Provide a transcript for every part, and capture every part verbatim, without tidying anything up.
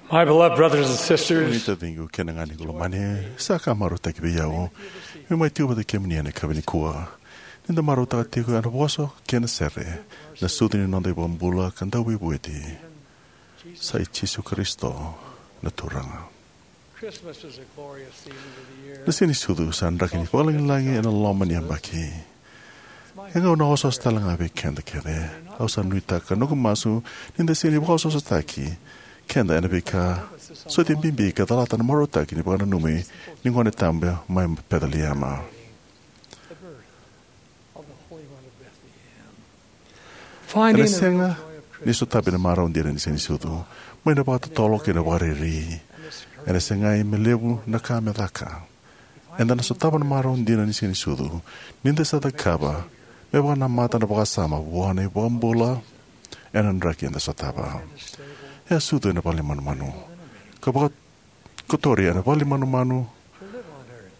My beloved brothers and sisters, taciqu kei na ganequ lomani, sa ka marautaki vei au meu mai tiko vata kei kemuni ena yakavi nikua. Ni da marautaka tiko ena vosa kei na sere na sucu ni noda iVakabula ka Dauveivueti, sa i Jisu Karisito na Turaga. Christmas is a glorious season of the year. Na Siga ni Sucu sa draki ni vakalagilagi ena loma ni yabaki. E gauna osooso tale ga vei keda kece. Au sa nuitaka noqu masu ni da sega ni vakaosoosotaki keda ena veika soti bibi ka calata na marautaki ni vakananumi ni Gone Tabu mai Peceliema. Ena sega ni sotavi na marau dina ni Siga ni Sucu mai na vakatotolo kei na vakariri. Ena segai me levu na ka me caka. Eda na sotava na marau dina ni Siga ni Sucu ni da sa cakava me vakanamata na vakasama vua na iVakabula ena draki eda sotava. E a sucu ena vale ni manumanu ka vakakotori ena vale ni manumanu.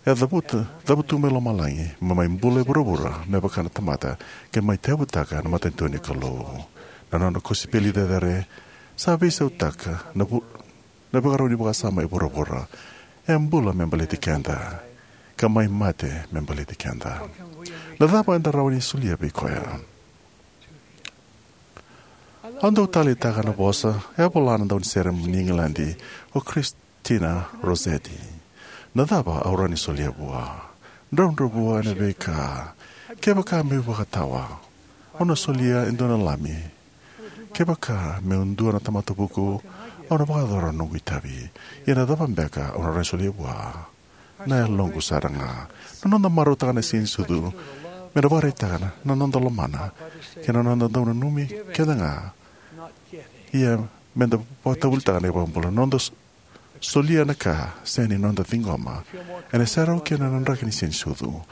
E a cavuta, cavutu mai lomalagi me mai bula e vuravura me vaka na tamata, ke mai tevutaka na matanitu ni Kalou. Na nona kosipeli cecere sa veisautaka na vu, na vakarau ni vakasama e vuravura. E a bula me baleti keda ka mai mate me baleti keda. Na cava eda rawa ni solia vei koya? Au dau taleitaka na vosa e a vola na daunisere ni Igiladi, o Christina Rossetti. Na cava au rawa ni solia vua? Dravudravua ena veika. Kevaka meu vakatawa, au na solia e dua na lami. Kevaka meu dua na tamata vuku, au na vakayacora na noqu itavi. Ia na cava beka au na rawa ni solia vua? Na yaloqu sara ga. Na noda marautaka na Siga ni Sucu me na vakaraitaka na noda lomana kei na noda dau nanumi keda ga. Ia me da vakatavulitaka na iVakabula na noda solia na ka sega ni noda ciqoma. Ena serau kina na draki ni Siga ni Sucu.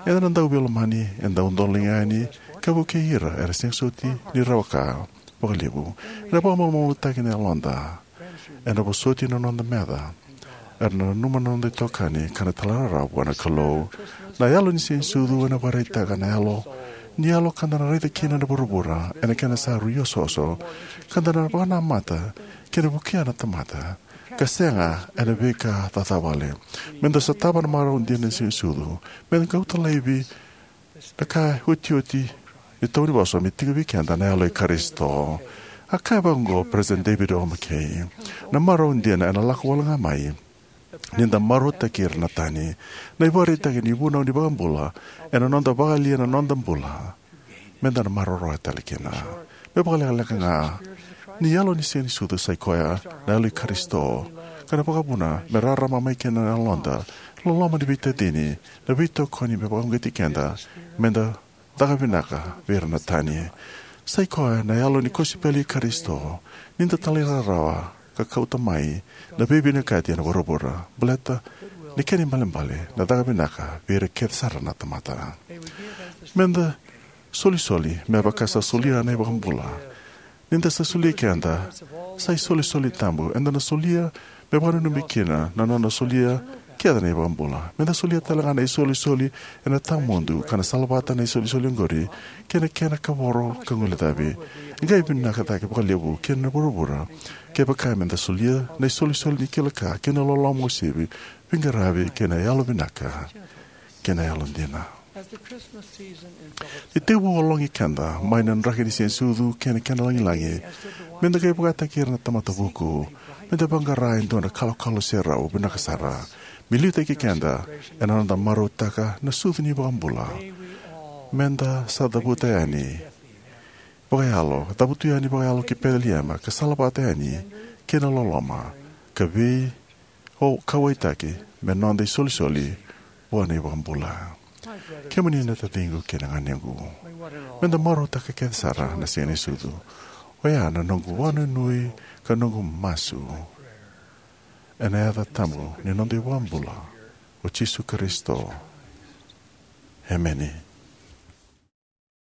Eda na dau veilomani, eda dau dolaga yani ka vukei ira era sega soti ni rawa ka vakalevu. Ena vakamalumalumutaki na yaloda. Ena vosoti na noda meca. Era na nanuma na noda itokani ka na talairawarawa vua na Kalou. Na yalo ni Siga ni Sucu ena vakaraitaka na yalo ni yalo ka da na raica kina na vuravura ena kena sa rui osooso, ka da na vakanamata kei na vukea na tamata ka sega ena veika cacawale. Me da sotava na marau dina ni Siga ni Sucu, me da kauta laivi na ka otioti ni taunivosa me tiko vei keda na yalo i Karisito. A kaya vaqo o President David O. McKay, na marau dina ena lako wale ga mai ni da marautaki ira na tani. Na ivakaraitaki ni vunau ni iVakabula ena noda vakayalia na noda bula, me da na maroroya tale kina. Me vakalekaleka ga, ni yalo ni Siga ni Sucu sa i koya na yalo i Karisito, ka na vakavuna me rarama mai kina na yaloda, loloma ni veitacini, na veitokoni me vakauqeti keda me da caka vinaka vei ira na tani. Sa i koya na yalo ni kosipeli i Karisito, ni da talairawarawa ka kauta mai na veivinakati ena vuravura, baleta ni kena ibalebale na caka vinaka vei ira kece sara na tamata. Me da solisoli me vaka sa solia na iVakabula. Ni da sa solia keda, sa isolisoli tabu eda na solia me vakananumi kina na nona solia kece na iVakabula. Me da solia tale ga na isolisoli ena tawamudu ka na salavata na isolisoli oqori kei na kena kavoro ka guilecavi. E qai vinaka cake vakalevu kina na vuravura kevaka me da solia na isolisoli ni kila ka kei na loloma uasivi, veiqaravi kei na yalo vinaka kei na yalo dina. Ni tekivu ologi keda mai na draki ni Siga ni Sucu kei na kena lagilagi, me da qai vakataki ira na tamata vuku me da vaqara e dua na kalokalo serau vinaka sara me liutaki keda ena noda marautaka na sucu ni iVakabula. Me da sa cavuta yani vakayalo, cavutu yani vakayalo ki Peceliema ka salavata yani kei na loloma ka vei o kauwaitaki me noda isolisoli vua na iVakabula. Kemuni na taciqu kei na ganequ, me da marautaka kece sara na Siga ni Sucu. Oya na noqu vakanuinui ka noqu masu ena yaca tabu ni noda iVakabula, o Jisu Karisito. Emeni.